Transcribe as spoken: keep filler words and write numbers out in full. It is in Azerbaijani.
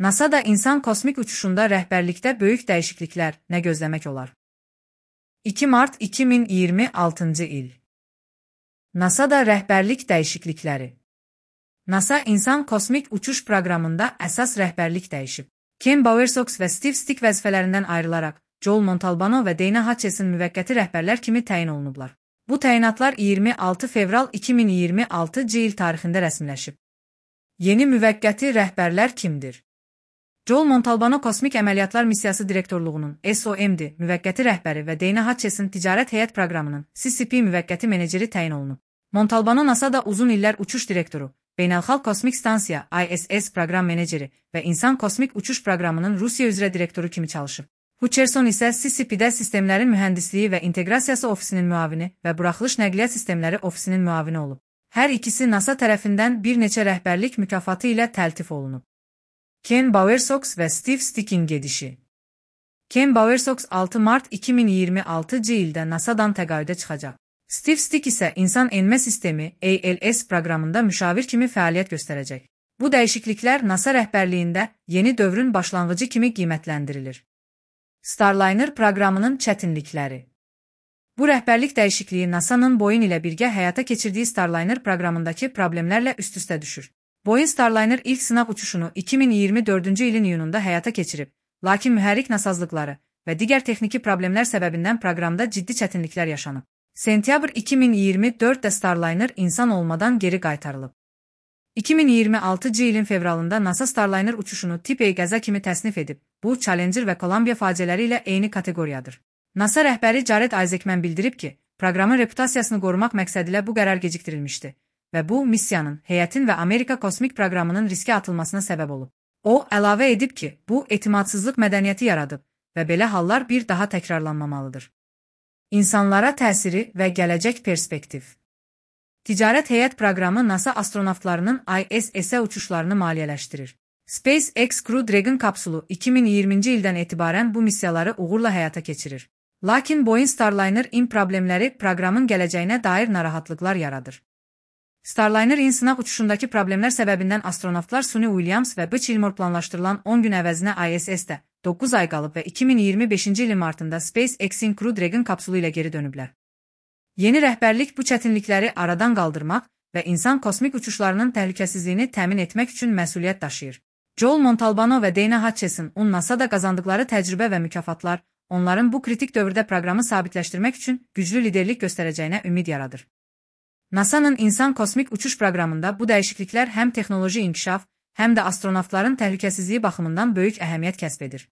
NASA'da insan kosmik uçuşunda rəhbərlikdə böyük dəyişikliklər nə gözləmək olar? iki Mart iki min iyirmi altıncı il. NASA'da rəhbərlik dəyişiklikləri. NASA insan kosmik uçuş proqramında əsas rəhbərlik dəyişib. Ken Bowersox və Steve Stick vəzifələrindən ayrılaraq Joel Montalbano və Dana Hatchison müvəqqəti rəhbərlər kimi təyin olunublar. Bu təyinatlar iyirmi altı fevral iki min iyirmi altıncı il tarixində rəsmiləşib. Yeni müvəqqəti rəhbərlər kimdir? Joel Montalbano Kosmik Əməliyyatlar Missiyası Direktorluğunun S O M D müvəqqəti rəhbəri və Dana Hatchison Ticarət Heyət Proqramının C C P müvəqqəti meneceri təyin olunub. Montalbano NASA'da uzun illər uçuş direktoru, Beynəlxalq Kosmik Stansiya I S S proqram meneceri və İnsan Kosmik Uçuş Proqramının Rusiya üzrə direktoru kimi çalışıb. Hutcherson isə C C P-də sistemlərin mühəndisliyi və inteqrasiyası ofisinin müavini və buraxılış nəqliyyat sistemləri ofisinin müavini olub. Hər ikisi NASA tərəfindən bir neçə rəhbərlik mükafatı ilə təltif olunub. Ken Bowersox və Steve Stick'in gedişi. Ken Bowersox altı Mart iki min iyirmi altıncı ildə NASA'dan təqaüdə çıxacaq. Steve Stick isə İnsan Enmə Sistemi A L S proqramında müşavir kimi fəaliyyət göstərəcək. Bu dəyişikliklər NASA rəhbərliyində yeni dövrün başlanğıcı kimi qiymətləndirilir. Starliner proqramının çətinlikləri. Bu rəhbərlik dəyişikliyi NASA'nın Boeing ilə birgə həyata keçirdiyi Starliner proqramındakı problemlərlə üst-üstə düşür. Boeing Starliner ilk sınaq uçuşunu iki min iyirmi dördüncü ilin iyununda həyata keçirib, lakin mühərrik nasazlıqları və digər texniki problemlər səbəbindən proqramda ciddi çətinliklər yaşanıb. Sentyabr iki min iyirmi dörddə Starliner insan olmadan geri qaytarılıb. iki min iyirmi altıncı ilin fevralında NASA Starliner uçuşunu tip A qəza kimi təsnif edib. Bu, Challenger və Columbia faciələri ilə eyni kateqoriyadır. NASA rəhbəri Jared Isaacman bildirib ki, proqramın reputasiyasını qorumaq məqsədilə bu qərar gecikdirilmişdi və bu, missiyanın, heyətin və Amerika kosmik proqramının riskə atılmasına səbəb olub. O, əlavə edib ki, bu, etimadsızlıq mədəniyyəti yaradıb və belə hallar bir daha təkrarlanmamalıdır. İnsanlara təsiri və gələcək perspektiv. Ticarət Heyət proqramı NASA astronavtlarının I S S-ə uçuşlarını maliyyələşdirir. SpaceX Crew Dragon kapsulu iki min iyirminci ildən etibarən bu missiyaları uğurla həyata keçirir. Lakin Boeing Starliner-in problemləri proqramın gələcəyinə dair narahatlıqlar yaradır. Starliner-in sınaq uçuşundakı problemlər səbəbindən astronavtlar Suni Williams və Buzz Gilmore planlaşdırılan on gün əvəzinə I S S-də doqquz ay qalıb və iki min iyirmi beşinci ilin martında SpaceX-in Crew Dragon kapsulu ilə geri dönüblər. Yeni rəhbərlik bu çətinlikləri aradan qaldırmaq və insan kosmik uçuşlarının təhlükəsizliyini təmin etmək üçün məsuliyyət daşıyır. Joel Montalbano və Dana Hatchison NASA'da qazandıqları təcrübə və mükafatlar onların bu kritik dövrdə proqramı sabitləşdirmək üçün güclü liderlik göstərəcəyinə ümid yaradır. NASA'nın insan kosmik uçuş proqramında bu dəyişikliklər həm texnoloji inkişaf, həm də astronavtların təhlükəsizliyi baxımından böyük əhəmiyyət kəsb edir.